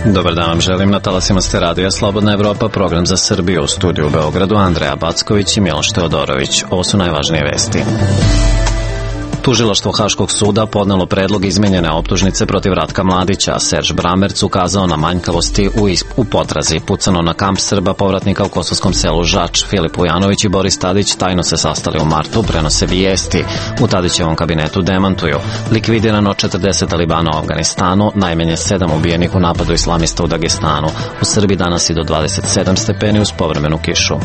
Dobar dan vam želim, na talasima ste radija Slobodna Evropa, program za Srbiju, u studiju u Beogradu Andreja Backović i Miloš Teodorović. Ovo su najvažnije vesti. Tužilaštvo Haškog suda podnelo predlog izmenjene optužnice protiv Ratka Mladića, a Serž Bramerc ukazao na manjkavosti u potrazi. Pucano na kamp Srba povratnika u kosovskom selu Žač. Filip Vujanović i Boris Tadić tajno se sastali u martu, prenose vijesti. U Tadićevom kabinetu demantuju. Likvidirano 40 talibana u Afganistanu, najmanje 7 ubijenih u napadu islamista u Dagestanu. U Srbiji danas i do 27 stepeni uz povremenu kišu.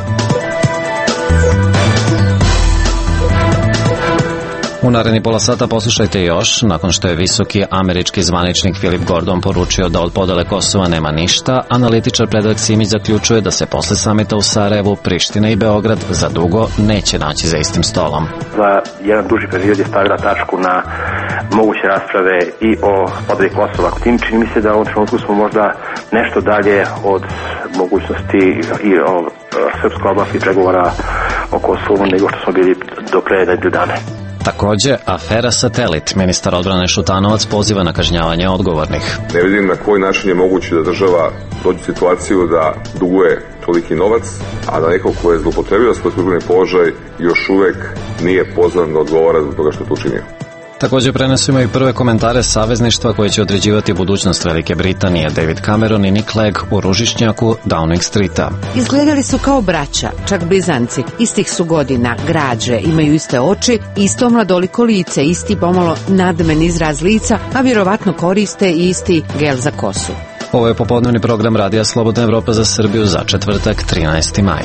U naredni pola sata poslušajte još, nakon što je visoki američki zvaničnik Philip Gordon poručio da od podele Kosova nema ništa, analitičar Predrag Simić zaključuje da se posle samita u Sarajevu, Priština i Beograd za dugo neće naći za istim stolom. Za jedan duži period je stavila tačku na moguće rasprave i o podeli Kosova. Čini mi se da u ovom trenutku smo možda nešto dalje od mogućnosti i o srpskoj oblasti pregovora o Kosovu nego što smo bili do pre nedelju dana. Takođe, afera Satelit. Ministar odbrane Šutanovac poziva na kažnjavanje odgovornih. Ne vidim na koji način je moguće da država dođe u situaciju da duguje toliki novac, a da neko ko je zloupotrebio svoj službeni položaj još uvek nije pozvan da odgovara zbog toga što je to učinio. Također prenesujemo i prve komentare savezništva koje će određivati budućnost Velike Britanije. David Cameron i Nick Clegg u ružičnjaku Downing Streeta. Izgledali su kao braća, čak blizanci. Istih su godina, građe, imaju iste oči, isto mladoliko lice, isti pomalo nadmen izraz lica, a vjerovatno koriste i isti gel za kosu. Ovo je popodnevni program Radija Slobodna Evropa za Srbiju za četvrtak, 13. maj.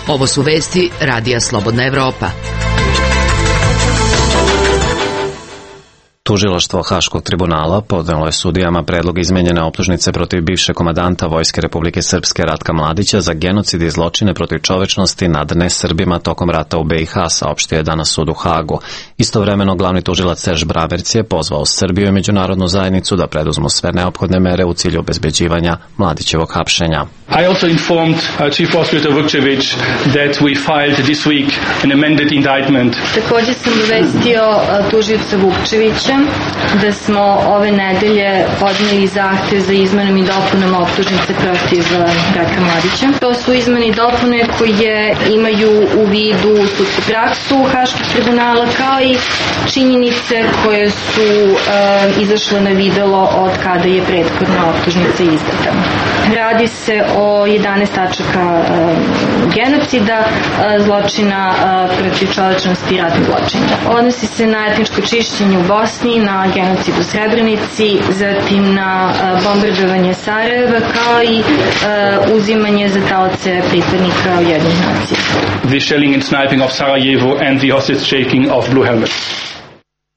Ovo su vesti Radija Slobodna Evropa. Tužilaštvo Haškog tribunala podnelo je sudijama predlog izmenjene optužnice protiv bivšeg komandanta Vojske Republike Srpske Ratka Mladića za genocid i zločine protiv čovečnosti nad nesrbima tokom rata u BiH, saopštio je danas sud u Hagu. Istovremeno glavni tužilac Serž Bramerc je pozvao Srbiju i međunarodnu zajednicu da preduzmu sve neophodne mere u cilju obezbeđivanja Mladićevog hapšenja. I also informed Chief Prosecutor Vukčević that we filed this week an amended indictment. Također sam obavestio tužioca Vukčevića da smo ove nedelje podnijeli zahtev za izmenom i dopunom optužnice protiv Ratka Mladića. To su izmene i dopune koje imaju u vidu sudsku praksu Haškog tribunala kao i činjenice koje su izašle na videlo od kada je prethodna optužnica izdata. Radi se o 11 tačaka genocida, zločina protiv čovečnosti i ratnih zločina. Odnosi se na etničko čišćenje u Bosni, na genocid u Srebrenici, zatim na bombardovanje Sarajeva, kao i uzimanje za taoce pripadnika Ujedinjenih nacija. The shelling and sniping of Sarajevo and the hostage taking of Blue Helmet.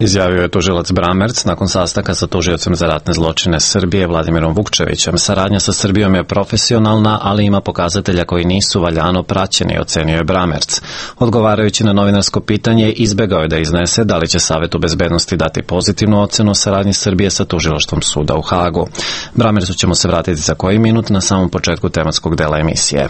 Izjavio je tužilac Bramerc nakon sastanka sa tužiocem za ratne zločine Srbije Vladimirom Vukčevićem. Saradnja sa Srbijom je profesionalna, ali ima pokazatelja koji nisu valjano praćeni, ocenio je Bramerc. Odgovarajući na novinarsko pitanje, izbegao je da iznese da li će Savetu bezbednosti dati pozitivnu ocenu o saradnji Srbije sa tužilaštvom suda u Hagu. Bramercu ćemo se vratiti za koji minut na samom početku tematskog dela emisije.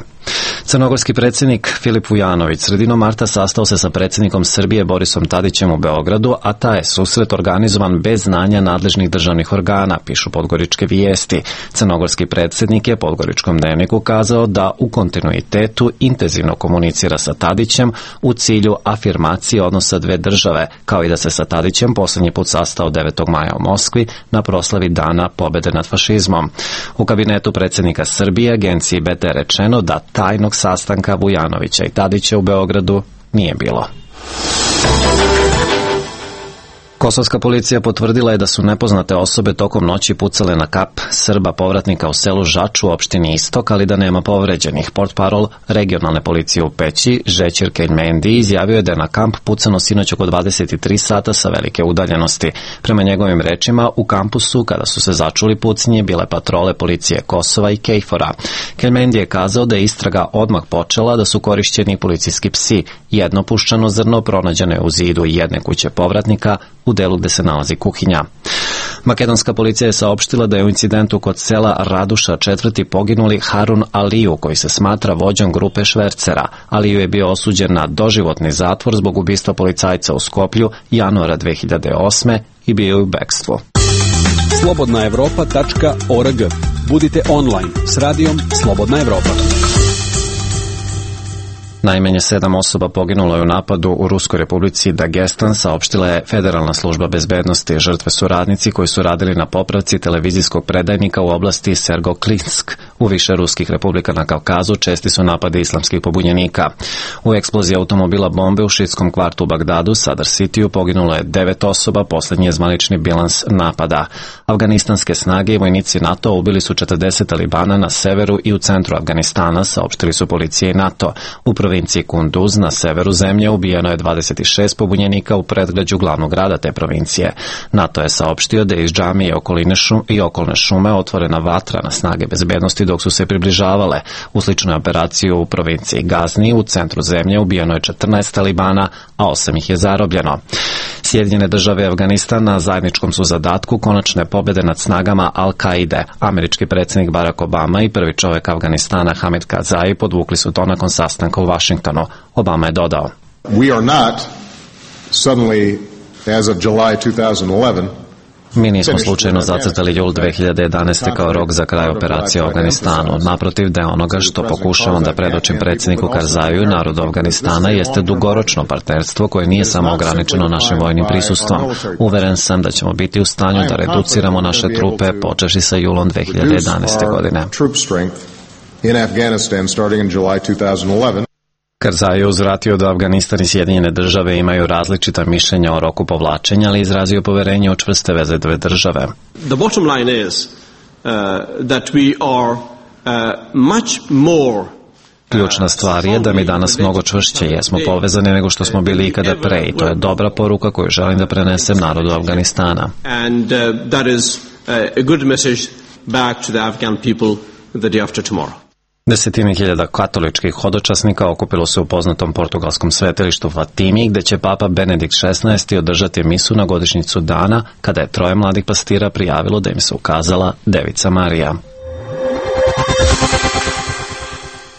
Crnogorski predsjednik Filip Vujanović sredinom marta sastao se sa predsjednikom Srbije Borisom Tadićem u Beogradu, a taj je susret organizovan bez znanja nadležnih državnih organa, pišu podgoričke vijesti. Crnogorski predsjednik je Podgoričkom dnevniku kazao da u kontinuitetu intenzivno komunicira sa Tadićem u cilju afirmacije odnosa dve države, kao i da se sa Tadićem posljednji put sastao 9. maja u Moskvi na proslavi Dana pobjede nad fašizmom. U kabinetu predsjednika Srbije agenciji BT rečeno da tajnog sastanka Vujanovića i Tadića u Beogradu nije bilo. Kosovska policija potvrdila je da su nepoznate osobe tokom noći pucale na kap Srba povratnika u selu Žač u opštini Istok, ali da nema povređenih. Portparol regionalne policije u Peći, Žećir Keljmendi, izjavio je da je na kamp pucano sinoć oko 23 sata sa velike udaljenosti. Prema njegovim rečima, u kampusu, kada su se začuli pucnje, bile patrole policije Kosova i Kejfora. Keljmendi je kazao da je istraga odmah počela, da su korišćeni policijski psi. Jedno puščano zrno pronađeno je u zidu jedne kuće povratnika u delu gde se nalazi kuhinja. Makedonska policija je saopštila da je u incidentu kod sela Raduša 4. poginuli Harun Aliju, koji se smatra vođom grupe švercera. Aliju je bio osuđen na doživotni zatvor zbog ubistva policajca u Skoplju januara 2008. i bio je u bekstvu. slobodnaevropa.org. Budite online s radijom Slobodna Evropa. Najmanje 7 osoba poginulo je u napadu u Ruskoj republici Dagestan, saopštila je Federalna služba bezbednosti. Žrtve su radnici koji su radili na popravci televizijskog predajnika u oblasti Sergoklinsk. U više ruskih republika na Kavkazu česti su napadi islamskih pobunjenika. U eksploziji automobila bombe u šiitskom kvartu u Bagdadu, Sadr Cityu, poginulo je 9 osoba, posljednji je zvanični bilans napada. Afganistanske snage i vojnici NATO ubili su 40 talibana na severu i u centru Afganistana, saopštili su policije i NATO. U provinciji Kunduz na severu zemlje ubijeno je 26 pobunjenika u predgrađu glavnog grada te provincije. NATO je saopštio da je iz džamije i okolne šume otvorena vatra na snage bezbednosti dok su se približavale. U sličnoj operaciji u provinciji Gazni u centru zemlje ubijeno je 14 talibana, a 8 ih je zarobljeno. Sjedinjene države i Afganistan na zajedničkom su zadatku konačne pobjede nad snagama Al-Kaide. Američki predsjednik Barack Obama i prvi čovjek Afganistana Hamid Karzai podvukli su to nakon sastanka u Vašingtonu. Obama je dodao: We are not suddenly, as of July 2011, mi nismo slučajno zacrtali jul 2011. kao rok za kraj operacije u Afganistanu. Naprotiv, da je onoga što pokušavam da predočim predsjedniku Karzaju i narodu Afganistana jeste dugoročno partnerstvo koje nije samo ograničeno našim vojnim prisustvom. Uveren sam da ćemo biti u stanju da reduciramo naše trupe počevši sa julom 2011. godine. Karzai je uzvratio da Afganistan i Sjedinjene države imaju različita mišljenja o roku povlačenja, ali izrazio poverenje u čvrste veze dve države. The bottom line is that we are much more. Ključna stvar je da mi danas mnogo čvršće jesmo povezani nego što smo bili ikada pre i to je dobra poruka koju želim da prenesem narodu Afganistana. And that is a good message back to the Afghan people the day after tomorrow. Desetine hiljada katoličkih hodočasnika okupilo se u poznatom portugalskom svetilištu Fatimi, gde će Papa Benedikt XVI održati misu na godišnjicu dana kada je 3 mladih pastira prijavilo da im se ukazala Devica Marija.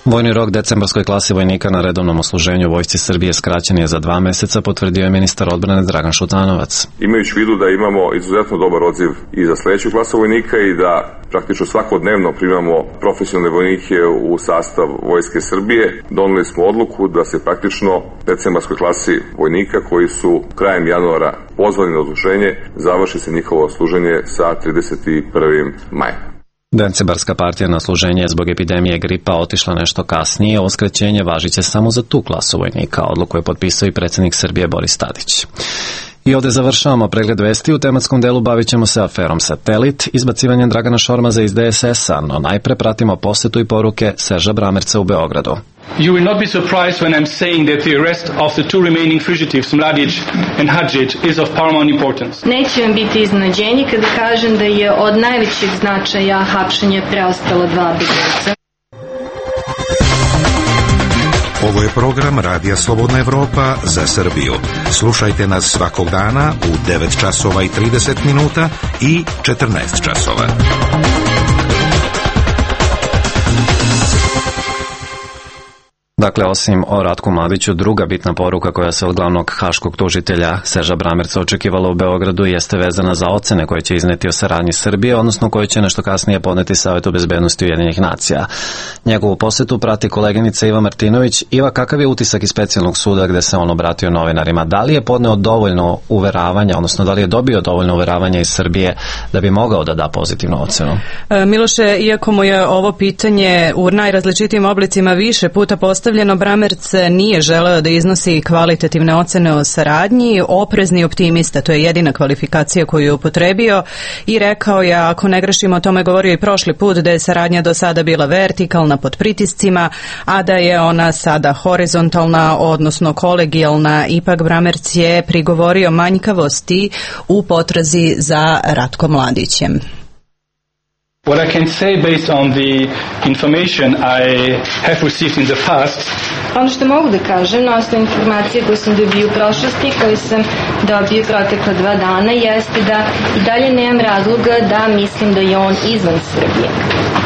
Vojni rok decembarskoj klasi vojnika na redovnom osluženju u Vojsci Srbije skraćen je za 2 meseca, potvrdio je ministar odbrane Dragan Šutanovac. Imajući u vidu da imamo izuzetno dobar odziv i za sledeću klasu vojnika i da praktično svakodnevno primamo profesionalne vojnike u sastav Vojske Srbije, doneli smo odluku da se praktično decembarskoj klasi vojnika koji su krajem januara pozvani na odsluženje završi se njihovo služenje sa 31. maja. Decembarska partija na služenje zbog epidemije gripa otišla nešto kasnije, ovo skraćenje važiće samo za tu klasu vojnika, odluku je potpisao i predsjednik Srbije Boris Tadić. I ovdje završavamo pregled vesti. U tematskom delu bavit ćemo se aferom Satelit, izbacivanjem Dragana Šormaza iz DSS-a, no najpre pratimo posetu i poruke Serža Bramerca u Beogradu. You will not be surprised when I'm saying that the arrest of the 2 remaining fugitives, Mladić and Hadžić, is of paramount importance. Neće vam biti iznenađenje kada kažem da je od najvećeg značaja hapšenje preostala 2 begunca. Ovo je program Radija Slobodna Evropa za Srbiju. Slušajte nas svakog dana u 9 časova i 30 minuta i 14 časova. Dakle, osim o Ratku Mladiću, druga bitna poruka koja se od glavnog haškog tužitelja Serža Bramerca očekivala u Beogradu jeste vezana za ocene koje će izneti o saradnji Srbije, odnosno koje će nešto kasnije podneti Savetu bezbednosti Ujedinjenih nacija. Njegovu posetu prati koleginica Iva Martinović. Iva, kakav je utisak iz specijalnog suda gde se on obratio novinarima? Da li je podneo dovoljno uveravanja, odnosno da li je dobio dovoljno uveravanja iz Srbije da bi mogao da da pozitivnu ocenu? Miloše, iako mu je ovo pitanje u najrazličitijim oblicima više puta postavljeno, Bramerc nije želeo da iznosi kvalitativne ocene o saradnji, oprezni optimista, to je jedina kvalifikacija koju je upotrebio i rekao je, ako ne grešimo, o tome govorio i prošli put, da je saradnja do sada bila vertikalna pod pritiscima, a da je ona sada horizontalna, odnosno kolegijalna. Ipak Bramerc je prigovorio manjkavosti u potrazi za Ratkom Mladićem. What I can say based on the information I have received in the past. Ono što mogu da kažem na osnovu informacije koje sam dobio u prošlosti, koje sam dobio protekla 2 dana, jeste da i dalje nemam razloga da mislim da je on izvan Srbije.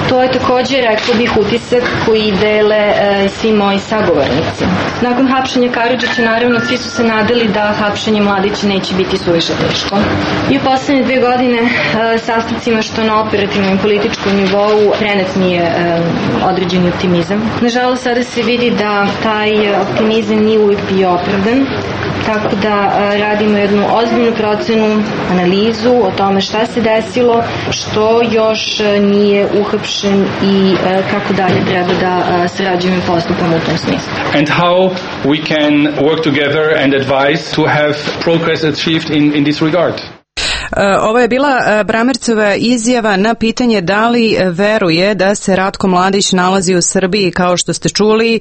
To je također, rekla bih, utisak koji dele svi moji sagovornici. Nakon hapšenja Karadžića, naravno, svi su se nadali da hapšenje Mladića neće biti suviše teško. I u poslednje 2 godine sastavcima što na operativnom i političkom nivou prenet mi je određeni optimizam. Nažalost, sada se vidi da taj optimizam nije uvijek bio opravdan, tako da radimo jednu ozbiljnu procenu, analizu o tome šta se desilo, što još nije uhapšen i kako dalje treba da sarađujemo i postupamo u tom smislu. And how we can work together and advise to have progress achieved in this regard. Ovo je bila Bramercova izjava na pitanje da li veruje da se Ratko Mladić nalazi u Srbiji. Kao što ste čuli,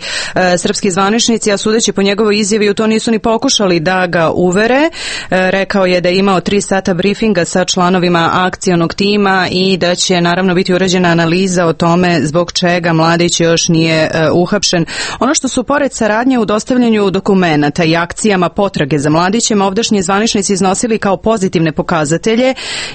srpski zvaničnici, a sudeći po njegovoj izjavi, u to nisu ni pokušali da ga uvere. Rekao je da je imao 3 sata briefinga sa članovima akcionog tima i da će naravno biti urađena analiza o tome zbog čega Mladić još nije uhapšen. Ono što su pored saradnje u dostavljanju dokumenata i akcijama potrage za Mladićem ovdašnji zvaničnici iznosili kao pozitivne pokazatelje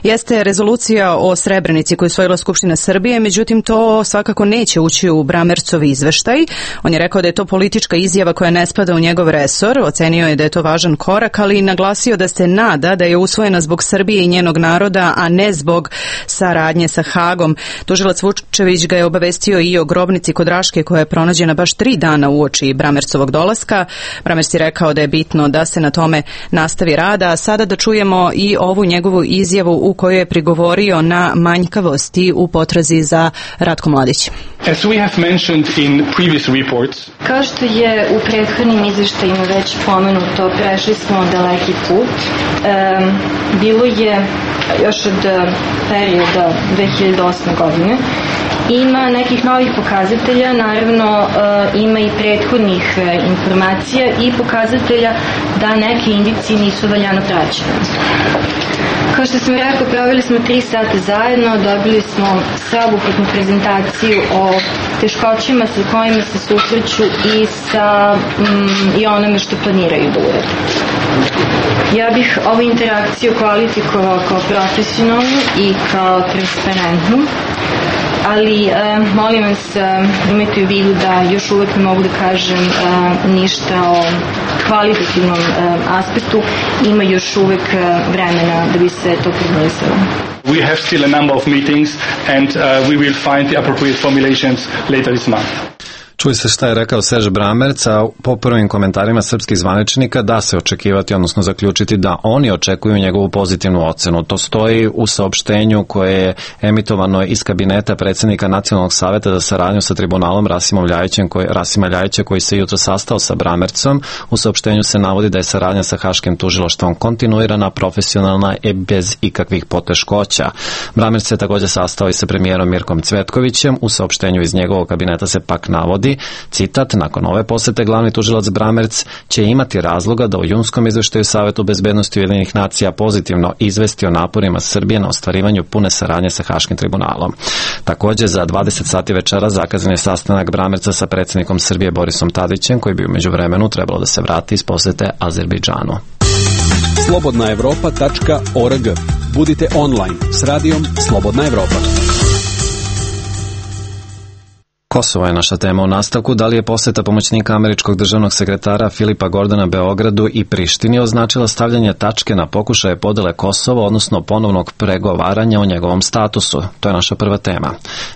jeste rezolucija o Srebrenici koju je usvojila Skupština Srbije, međutim to svakako neće ući u Bramercov izveštaj. On je rekao da je to politička izjava koja ne spada u njegov resor, ocenio je da je to važan korak, ali i naglasio da se nada da je usvojena zbog Srbije i njenog naroda, a ne zbog saradnje sa Hagom. Tužilac Vukčević ga je obavestio i o grobnici kod Raške koja je pronađena baš 3 dana uoči Bramercovog dolaska. Bramerc je rekao da je bitno da se na tome nastavi rada, a sada da čujemo i ovu njegovu izjavu u kojoj je prigovorio na manjkavosti u potrazi za Ratkom Mladićem. As we have mentioned in previous reports, kao što je u prethodnim izveštajima već pomenuto, prešli smo daleki put. Bilo je još od perioda 2008. godine. Ima nekih novih pokazatelja, naravno ima i prethodnih informacija i pokazatelja da neke indicije nisu valjano praćene. Kao što sam rekao, proveli smo 3 sata zajedno, dobili smo sveobuhvatnu prezentaciju o teškoćima sa kojima se susreću i onome što planiraju da urade. Ja bih ovu interakciju kvalifikovao kao profesionalnu i kao transparentnu, ali molim vas, imajte u vidu da još uvek ne mogu da kažem ništa o kvalitativnom aspektu, ima još uvek vremena da bi se to formulisalo. We have still a number of meetings and we will find the appropriate formulations later this month. Čuj se šta je rekao Serž Bramerc, a po prvim komentarima srpskih zvaničnika da se očekivati, odnosno zaključiti da oni očekuju njegovu pozitivnu ocenu. To stoji u saopštenju koje je emitovano iz kabineta predsjednika Nacionalnog saveta za saradnju sa tribunalom Rasima Ljajića koji se jutro sastao sa Bramercom. U saopštenju se navodi da je saradnja sa Haškim tužilaštvom kontinuirana, profesionalna i bez ikakvih poteškoća. Bramerc se također sastao i sa premijerom Mirkom Cvetkovićem. U saopštenju iz njegovog kabineta se pak navodi, citat, nakon ove posete glavni tužilac Bramerc će imati razloga da u junskom izveštaju Savetu bezbednosti Ujedinjenih nacija pozitivno izvesti o naporima Srbije na ostvarivanju pune saradnje sa Haškim tribunalom. Također za 20 sati večera zakazan je sastanak Bramerca sa predsjednikom Srbije Borisom Tadićem, koji bi u međuvremenu trebalo da se vrati iz posete Azerbejdžanu. Slobodnaevropa.org. Budite online s radijom Slobodna Evropa. Kosovo je naša tema u nastavku. Da li je poseta pomoćnika američkog državnog sekretara Filipa Gordona Beogradu i Prištini označila stavljanje tačke na pokušaje podele Kosova, odnosno ponovnog pregovaranja o njegovom statusu? To je naša prva tema.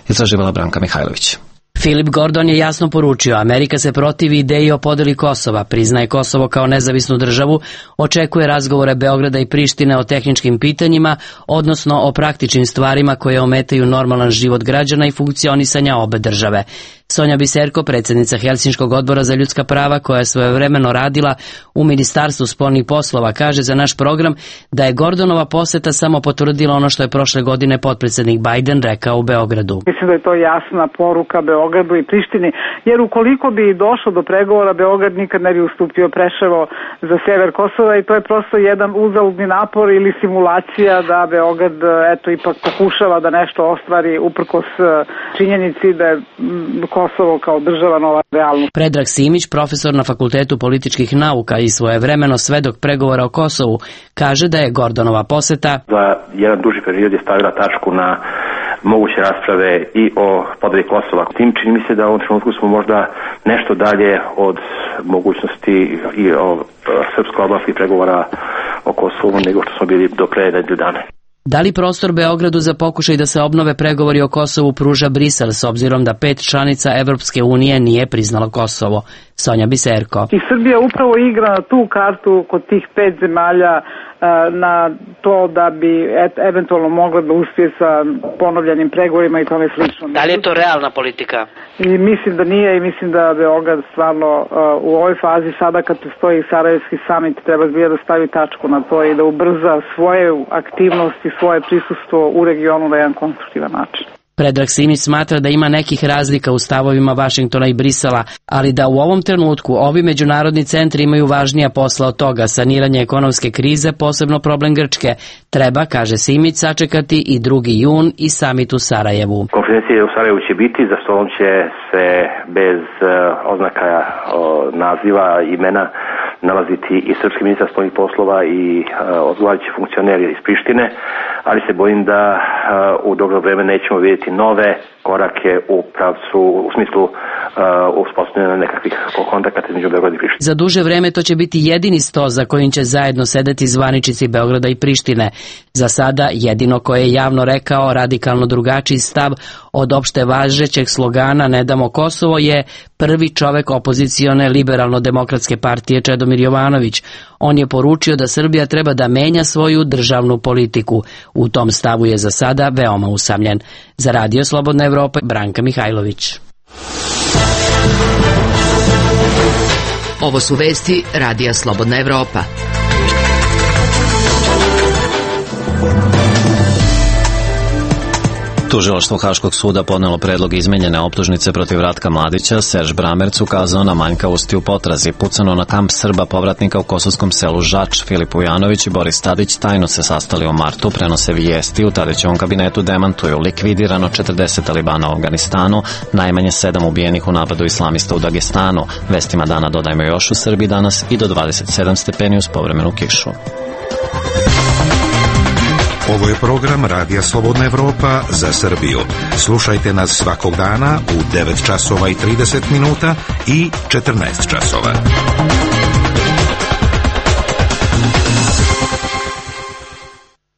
Istraživala Branka Mihajlović. Filip Gordon je jasno poručio, Amerika se protivi ideji o podeli Kosova, priznaje Kosovo kao nezavisnu državu, očekuje razgovore Beograda i Prištine o tehničkim pitanjima, odnosno o praktičnim stvarima koje ometaju normalan život građana i funkcionisanja obe države. Sonja Biserko, predsjednica Helsinškog odbora za ljudska prava koja je svojevremeno radila u Ministarstvu spoljnih poslova, kaže za naš program da je Gordonova poseta samo potvrdila ono što je prošle godine potpredsjednik Biden rekao u Beogradu. Mislim da je to jasna poruka Beogradu i Prištini, jer ukoliko bi došlo do pregovora, Beograd nikad ne bi ustupio Preševo za sever Kosova i to je prosto jedan uzaludni napor ili simulacija da Beograd ipak pokušava da nešto ostvari uprkos činjenici da je Kosovo kao država nova realnost. Predrag Simić, profesor na Fakultetu političkih nauka i svojevremeno svedok pregovora o Kosovu, kaže da je Gordonova poseta za jedan duži period je stavila tačku na moguće rasprave i o podeli Kosova. Tim čini mi se da u ovom trenutku smo možda nešto dalje od mogućnosti i o srpsko-albanskih pregovora o Kosovu nego što smo bili do pre nedelju dana. Da li prostor Beogradu za pokušaj da se obnove pregovori o Kosovu pruža Brisel s obzirom da 5 članica Evropske unije nije priznalo Kosovo? Sonja Biserko. I Srbija upravo igra na tu kartu kod tih 5 zemalja na to da bi eventualno mogla da uspije sa ponovljenim pregovorima i tome slično. Da li je to realna politika? I mislim da nije i mislim da Beograd stvarno u ovoj fazi sada kad stoji Sarajevski samit treba zbilja da stavi tačku na to i da ubrza svoje aktivnosti, svoje prisustvo u regionu na jedan konstruktivan način. Predrag Simić smatra da ima nekih razlika u stavovima Vašingtona i Brisela, ali da u ovom trenutku ovi međunarodni centri imaju važnija posla od toga, saniranje ekonomske krize, posebno problem Grčke. Treba, kaže Simić, sačekati i 2. jun i samit u Sarajevu. Konferencija u Sarajevu će biti, za stolom će se bez oznaka naziva, imena nalaziti i srpski ministar spoljnih poslova i odgovarajući funkcioneri iz Prištine, ali se bojim da u dogledno vreme nećemo vidjeti nove korake u pravcu, u smislu uspostavljanja nekakvih kontakata između Beograda i Prištine. Za duže vreme to će biti jedini sto za kojim će zajedno sedeti zvaničnici Beograda i Prištine. Za sada jedino koje je javno rekao radikalno drugačiji stav od opšte važećeg slogana Ne damo Kosovo je prvi čovek opozicione liberalno-demokratske partije Čedomir Jovanović. On je poručio da Srbija treba da menja svoju državnu politiku. U tom stavu je za sada veoma usamljen. Za Radio Slobodna Evropa, Branka Mihajlović. Ovo su vesti Radija Slobodna Evropa. Tužilaštvo Haškog suda podnelo predlog izmenjene optužnice protiv Ratka Mladića. Serž Bramerc ukazao na manjkavosti u potrazi. Pucano na kamp Srba povratnika u kosovskom selu Žač. Filip Ujanović i Boris Tadić tajno se sastali u martu, prenose vijesti. U Tadićevom kabinetu demantuju likvidirano 40 talibana u Afganistanu, najmanje 7 ubijenih u napadu islamista u Dagestanu. Vestima dana dodajmo još u Srbiji danas i do 27 stepeni uz povremenu kišu. Ovo je program Radija Slobodna Evropa za Srbiju. Slušajte nas svakog dana u 9 časova i 30 minuta i 14 časova.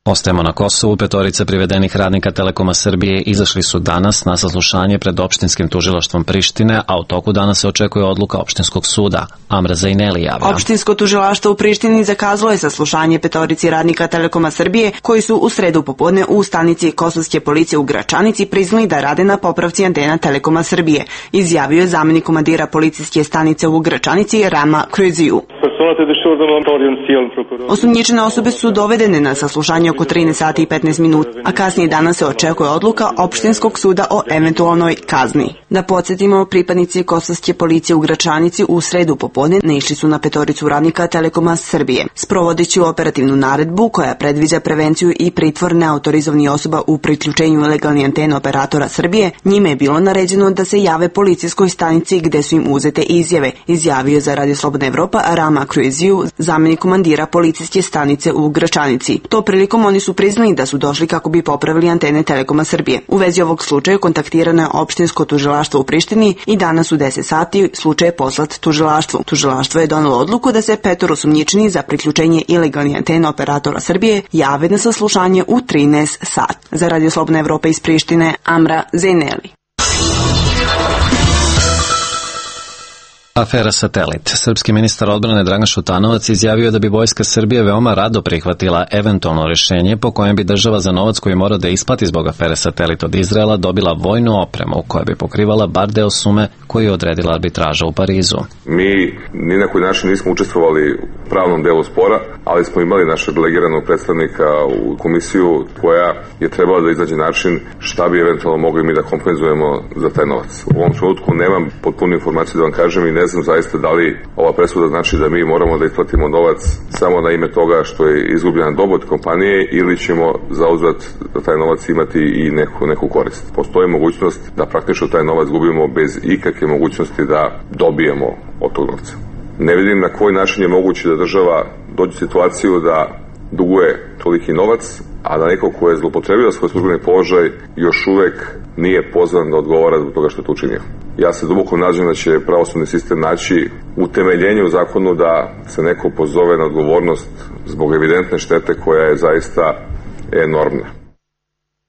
Ostajemo na Kosovu. 5 privedenih radnika Telekoma Srbije izašli su danas na saslušanje pred opštinskim tužilaštvom Prištine, a u toku dana se očekuje odluka opštinskog suda. Amra Zajneli javlja. Opštinsko tužilaštvo u Prištini zakazalo je saslušanje 5 radnika Telekoma Srbije koji su u sredu popodne u stanici kosovske policije u Gračanici priznali da rade na popravci antena Telekoma Srbije, izjavio je zamenik komandira policijske stanice u Gračanici Rama Kruziju. Osumnjičene osobe su dovedene na saslušanje oko 13 sati i 15 minuta, a kasnije danas se očekuje odluka opštinskog suda o eventualnoj kazni. Da podsjetimo, pripadnici kosovske policije u Gračanici u sredu popodne naišli su na 5 radnika Telekoma Srbije. Sprovodeći operativnu naredbu koja predviđa prevenciju i pritvor neautorizovanih osoba u priključenju ilegalnih antena operatora Srbije, njime je bilo naređeno da se jave policijskoj stanici gde su im uzete izjave, izjavio za Radio Slobodna Evropa Rama Kruziju, zamenik komandira policijske stanice u Gračanici. To prilikom oni su priznali da su došli kako bi popravili antene Telekoma Srbije. U vezi ovog slučaja kontaktirano je opštinsko tužilaštvo u Prištini i danas u 10 sati slučaj je poslat tužilaštvu. Tužilaštvo je donelo odluku da se 5 osumnjičeni za priključenje ilegalnih antena operatora Srbije jave na saslušanje u 13 sati. Za Radio Slobodna Evropa iz Prištine, Amra Zajneli. Afera Satelit. Srpski ministar odbrane Dragan Šutanovac izjavio da bi Vojska Srbije veoma rado prihvatila eventualno rješenje po kojem bi država za novac koji mora da isplati zbog afere Satelit od Izraela dobila vojnu opremu koja bi pokrivala bar deo sume koju je odredila arbitraža u Parizu. Mi ni na koji način nismo učestvovali u pravnom delu spora, ali smo imali našeg delegiranog predstavnika u komisiju koja je trebala da iznađe način šta bi eventualno mogli mi da kompenzujemo za taj novac. U ovom trenutku nemam potpunu informaciju da vam kažem i ne znam zaista da li ova presuda znači da mi moramo da isplatimo novac samo na ime toga što je izgubljena dobit kompanije ili ćemo zauzvrat da taj novac imati i neku korist. Postoji mogućnost da praktično taj novac gubimo bez ikakve mogućnosti da dobijemo od tog novca. Ne vidim na koji način je moguće da država dođe u situaciju da duguje toliki novac, a da neko ko je zloupotrebio svoj službeni položaj još uvek nije pozvan da odgovara zbog toga što je to učinio. Ja se duboko nadam da će pravosudni sistem naći utemeljenje u zakonu da se neko pozove na odgovornost zbog evidentne štete koja je zaista enormna.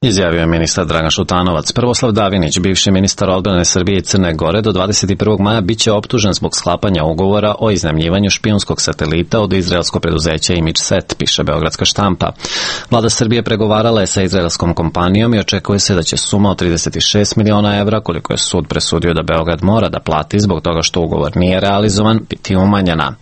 Izjavio je ministar Dragan Šutanovac. Prvoslav Davinić, bivši ministar odbrane Srbije i Crne Gore, do 21. maja biće optužen zbog sklapanja ugovora o iznajmljivanju špijunskog satelita od izraelskog preduzeća ImageSet, piše Beogradska štampa. Vlada Srbije pregovarala je sa izraelskom kompanijom i očekuje se da će suma od 36 miliona evra, koliko je sud presudio da Beograd mora da plati zbog toga što ugovor nije realizovan, biti umanjena.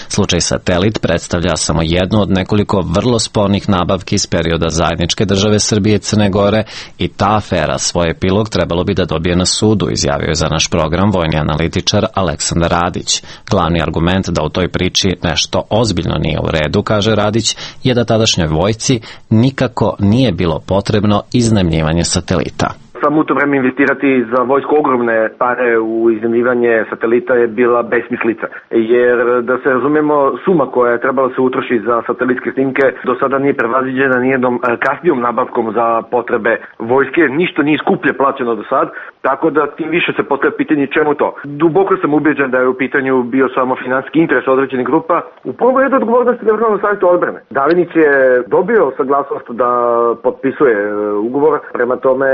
Slučaj Satelit predstavlja samo jednu od nekoliko vrlo spornih nabavki iz perioda zajedničke države Srbije i Crne Gore i ta afera svoj epilog trebalo bi da dobije na sudu, izjavio je za naš program vojni analitičar Aleksandar Radić. Glavni argument da u toj priči nešto ozbiljno nije u redu, kaže Radić, je da tadašnjoj vojsci nikako nije bilo potrebno iznajmljivanje satelita. Samo u to vreme investirati za vojsku ogromne pare u iznajmljivanje satelita je bila besmislica. Jer da se razumemo, suma koja je trebala se utroši za satelitske snimke do sada nije prevaziđena nijednom kasnijom nabavkom za potrebe vojske. Ništa nije skuplje plaćeno do sad, tako da tim više se postavlja pitanje čemu to. Duboko sam ubeđen da je u pitanju bio samo finansijski interes određenih grupa. U prvom redu odgovornosti Državnog savjeta odbrane. Davinić je dobio saglasnost da potpisuje ugovor, prema tome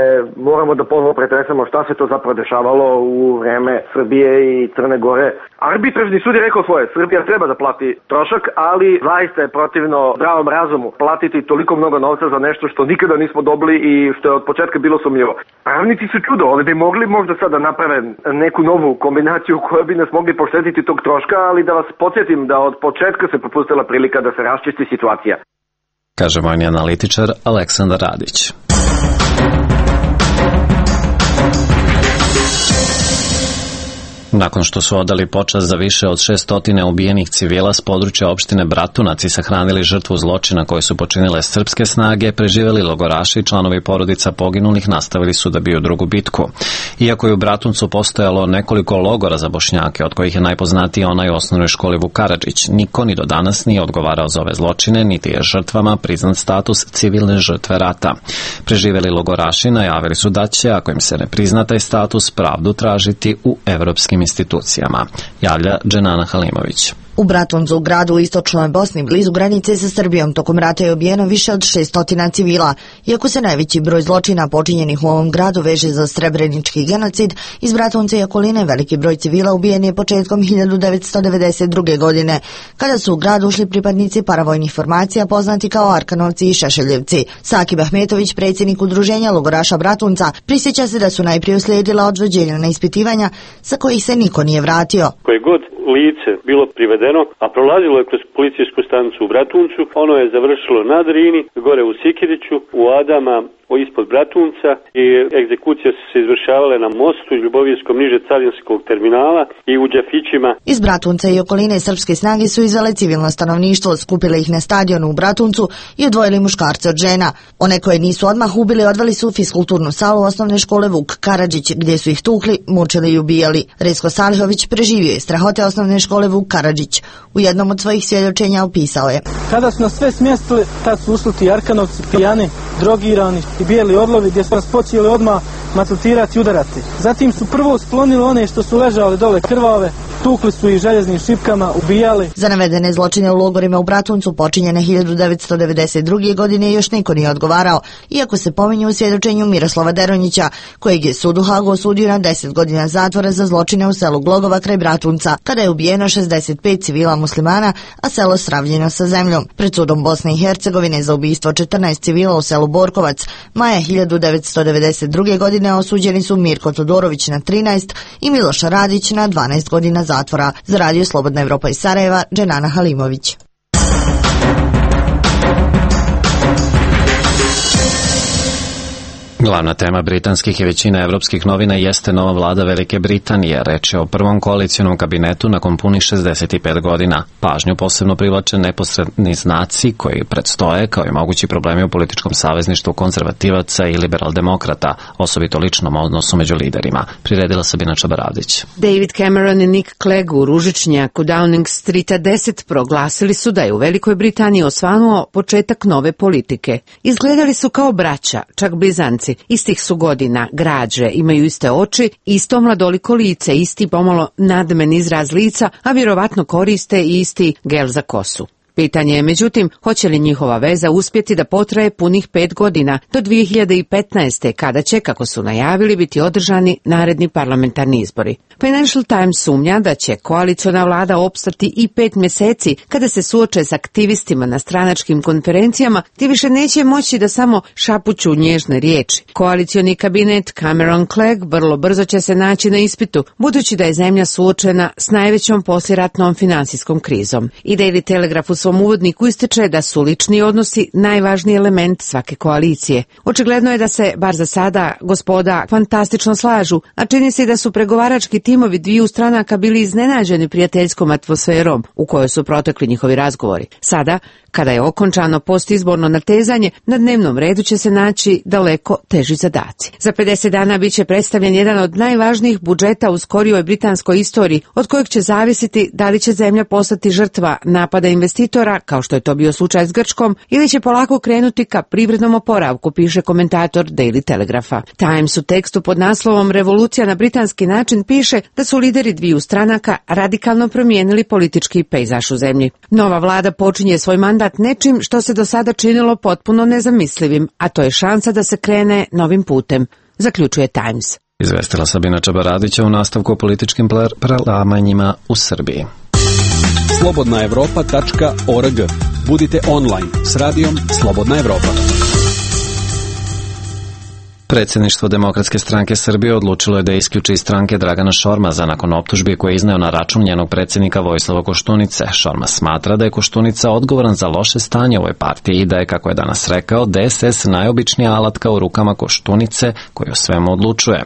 moramo da ponovo pretresamo šta se to zapravo dešavalo u vreme Srbije i Crne Gore. Arbitražni sud je rekao svoje, Srbija treba da plati trošak, ali zaista je protivno zdravom razumu platiti toliko mnogo novca za nešto što nikada nismo dobili i što je od početka bilo sumnjivo. Pravnici su čudo, oni bi mogli možda sada naprave neku novu kombinaciju koja bi nas mogli poštediti tog troška, ali da vas podsjetim da od početka se propustila prilika da se raščisti situacija. Kaže vojni analitičar Aleksandar Radić. Nakon što su odali počast za više od 600 ubijenih civila s područja opštine Bratunac i sahranili žrtvu zločina koje su počinile srpske snage, preživeli logoraši i članovi porodica poginulih nastavili su da biju drugu bitku. Iako je u Bratuncu postojalo nekoliko logora za Bošnjake, od kojih je najpoznatiji onaj u osnovnoj školi Vuk Karadžić, niko ni do danas nije odgovarao za ove zločine, niti je žrtvama priznat status civilne žrtve rata. Preživeli logoraši najavili su da će, ako im se ne prizna taj status, pravdu tražiti u evropskim institucijama, javlja Dženana Halimović. U Bratuncu, u gradu u istočnoj Bosni, blizu granice sa Srbijom, tokom rata je ubijeno više od 600 civila. Iako se najveći broj zločina počinjenih u ovom gradu veže za srebrenički genocid, iz Bratunca i okoline veliki broj civila ubijen je početkom 1992. godine, kada su u grad ušli pripadnici paravojnih formacija poznati kao Arkanovci i Šešeljevci. Sakib Ahmetović, predsjednik udruženja logoraša Bratunca, prisjeća se da su najprije uslijedila odvođenja na ispitivanja sa kojih se niko nije vratio. Koje god lice bilo privedeno, a prolazilo je kroz policijsku stanicu u Bratuncu, ono je završilo na Drini, gore u Sikiriću, u Adama, ispod Bratunca i egzekucije su se izvršavale na mostu Ljubovijskom niže carinskog terminala i u Đafićima. Iz Bratunca i okoline srpske snage su izvele civilno stanovništvo, skupile ih na stadionu u Bratuncu i odvojili muškarce od žena. One koje nisu odmah ubili odveli su u fiskulturnu salu osnovne škole Vuk Karadžić, gdje su ih tukli, mučili i ubijali. Resko Salhović preživio je strahote osnovne škole Vuk Karadžić. U jednom od svojih svjedočenja opisao je: kada su nas sve smjestili, tad su ušli ti Arkanovci, pijani, drogirani i bijeli orlovi, gdje su nas počeli odmah maltretirati i udarati. Zatim su prvo sklonili one što su ležali dole krvave, tukli su ih željeznim šipkama, ubijali. Za navedene zločine u logorima u Bratuncu počinjene 1992. godine još niko nije odgovarao, iako se pominje u svjedočenju Miroslava Deronjića, kojeg je sud u Hagu osudio na 10 godina zatvora za zločine u selu Glogova kraj Bratunca, kada je ubijeno 65 civila muslimana, a selo sravnjeno sa zemljom. Pred sudom Bosne i Hercegovine za ubistvo 14 civila u selu Borkovac maja 1992. godine osuđeni su Mirko Todorović na 13 i Miloša Radić na 12 godina zatvora. Za Radio Slobodna Evropa iz Sarajeva, Dženana Halimović. Glavna tema britanskih i većine evropskih novina jeste nova vlada Velike Britanije. Reč je o prvom koalicionom kabinetu nakon punih 65 godina. Pažnju posebno privlače neposredni znaci koji predstoje, kao i mogući problemi u političkom savezništvu konzervativaca i liberal-demokrata, osobito ličnom odnosu među liderima. Priredila Sabina Čabaradić. David Cameron i Nick Clegg u ružičnjaku Downing Streeta 10 proglasili su da je u Velikoj Britaniji osvanuo početak nove politike. Izgledali su kao braća, čak blizanci. Istih su godina, građe, imaju iste oči, isto mladoliko lice, isti pomalo nadmen izraz lica, a vjerovatno koriste i isti gel za kosu. Pitanje je, međutim, hoće li njihova veza uspjeti da potraje punih 5 godina do 2015. kada će, kako su najavili, biti održani naredni parlamentarni izbori. Financial Times sumnja da će koaliciona vlada opstati i 5 mjeseci kada se suoče s aktivistima na stranačkim konferencijama, gdje više neće moći da samo šapuću nježne riječi. Koalicioni kabinet Cameron-Clegg vrlo brzo će se naći na ispitu, budući da je zemlja suočena s najvećom poslijeratnom financijskom krizom. I Daily Telegraph u svom uvodniku ističe da su lični odnosi najvažniji element svake koalicije. Očigledno je da se, bar za sada, gospoda fantastično slažu, a čini se da su pregovarački timovi dviju stranaka bili iznenađeni prijateljskom atmosferom u kojoj su protekli njihovi razgovori. Sada, kada je okončano postizborno natezanje, na dnevnom redu će se naći daleko teži zadaci. Za 50 dana bit će predstavljen jedan od najvažnijih budžeta u skorijoj britanskoj istoriji, od kojeg će zavisiti da li će zemlja postati žrtva napada investitora, kao što je to bio slučaj s Grčkom, ili će polako krenuti ka privrednom oporavku, piše komentator Daily Telegrapha. Times u tekstu pod naslovom Revolucija na britanski način piše da su lideri dviju stranaka radikalno promijenili politički pejzaž u zemlji. Nova vlada počinje svoj mandat nečim što se do sada činilo potpuno nezamislivim, a to je šansa da se krene novim putem, zaključuje Times. Izvestila Sabina Čabaradića u nastavku o političkim prelamanjima u Srbiji. Slobodnaevropa.org. Budite online s radijom Slobodna Evropa. Predsjedništvo Demokratske stranke Srbije odlučilo je da isključi iz stranke Dragana Šormaza nakon optužbi koje je izneo na račun njenog predsjednika Vojislava Koštunice. Šormaz smatra da je Koštunica odgovoran za loše stanje u ovoj partiji i da je, kako je danas rekao, DSS najobičnija alatka u rukama Koštunice koji o svemu odlučuje.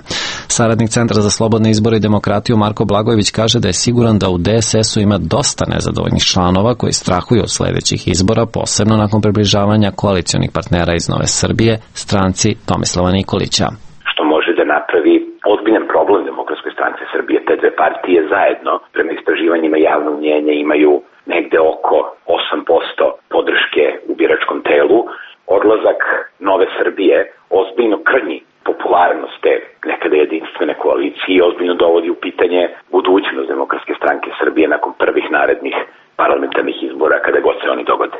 Saradnik Centra za slobodne izbore i demokratiju Marko Blagojević kaže da je siguran da u DSS-u ima dosta nezadovoljnih članova koji strahuju od sljedećih izbora, posebno nakon približavanja koalicionih partnera iz Nove Srbije, stranci Tomislava Nikolića. Što može da napravi ozbiljan problem Demokratskoj stranci Srbije. Te dve partije zajedno, prema istraživanjima javnog mnjenja, imaju negde oko 8% podrške u biračkom telu. Odlazak Nove Srbije ozbiljno krnji popularnost te nekada jedinstvene koalicije i ozbiljno dovodi u pitanje budućnost Demokratske stranke Srbije nakon prvih narednih parlamentarnih izbora, kada god se oni dogode.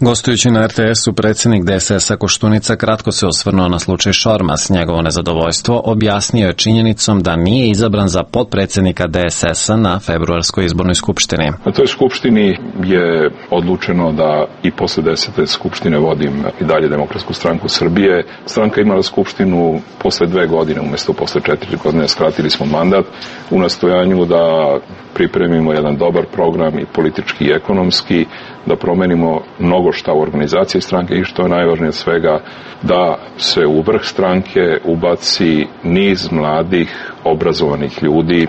Gostujući na RTS-u, predsjednik DSS-a Koštunica kratko se osvrnuo na slučaj Šormaz. Njegovo nezadovoljstvo objasnio je činjenicom da nije izabran za potpredsjednika DSS-a na februarskoj izbornoj skupštini. Na toj skupštini je odlučeno da i posle 10. skupštine vodim i dalje Demokratsku stranku Srbije. Stranka imala skupštinu posle 2 godine, umjesto posle 4 godine, skratili smo mandat u nastojanju da pripremimo jedan dobar program i politički i ekonomski, da promenimo mnogo šta u organizaciji stranke i što je najvažnije od svega, da se u vrh stranke ubaci niz mladih, obrazovanih ljudi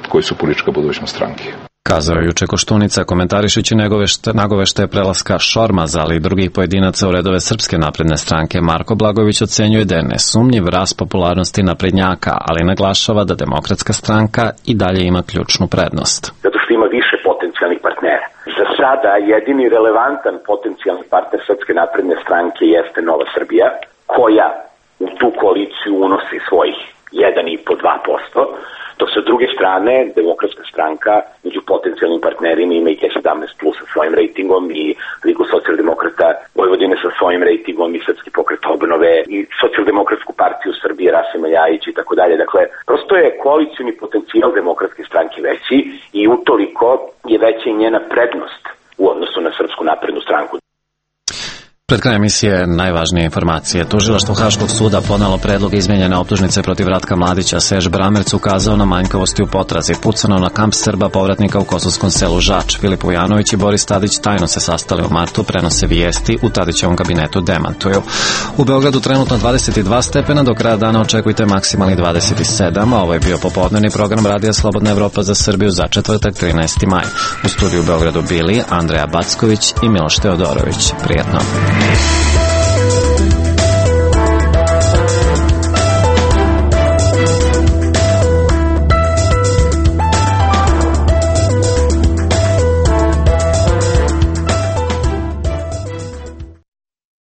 koji su politička budućnost stranke. Kazao je juče Koštunica, komentarišući nagoveštaje prelaska Šormaza, ali i drugih pojedinaca u redove Srpske napredne stranke. Marko Blagojević ocenjuje da je nesumnjiv rast popularnosti naprednjaka, ali naglašava da Demokratska stranka i dalje ima ključnu prednost. Zato što ima više potencijalnih partnera. Za sada jedini relevantan potencijalni partner Srpske napredne stranke jeste Nova Srbija, koja u tu koaliciju unosi svojih 1,5-2%, dok sa druge strane Demokratska stranka stranka među potencijalnim partnerima ima i G17 plus sa svojim rejtingom i Ligu socijaldemokrata Vojvodine sa svojim rejtingom i Srpski pokret obnove i socijaldemokratsku partiju Srbije Rasima Ljajića i tako dalje. Dakle, prosto je koalicioni potencijal Demokratske stranke veći i utoliko je veća i njena prednost u odnosu na Srpsku naprednu stranku. Pred krajem emisije najvažnije informacije. Tužilaštvo Haškog suda podnelo predlog izmijenjene optužnice protiv Ratka Mladića. Serž Bramerc ukazao na manjkavosti u potrazi. Pucano na kamp Srba povratnika u kosovskom selu Žač. Filip Vujanović i Boris Tadić tajno se sastali u martu, prenose vijesti, u Tadićevom kabinetu demantuju. U Beogradu trenutno 22 stepena, do kraja dana očekujte maksimalni 27, a ovo je bio popodnevni program Radija Slobodna Evropa za Srbiju za četvrtak 13. maj. U studiju u Beogradu bili Andreja Backović i Miloš Teodorović. Prijetno.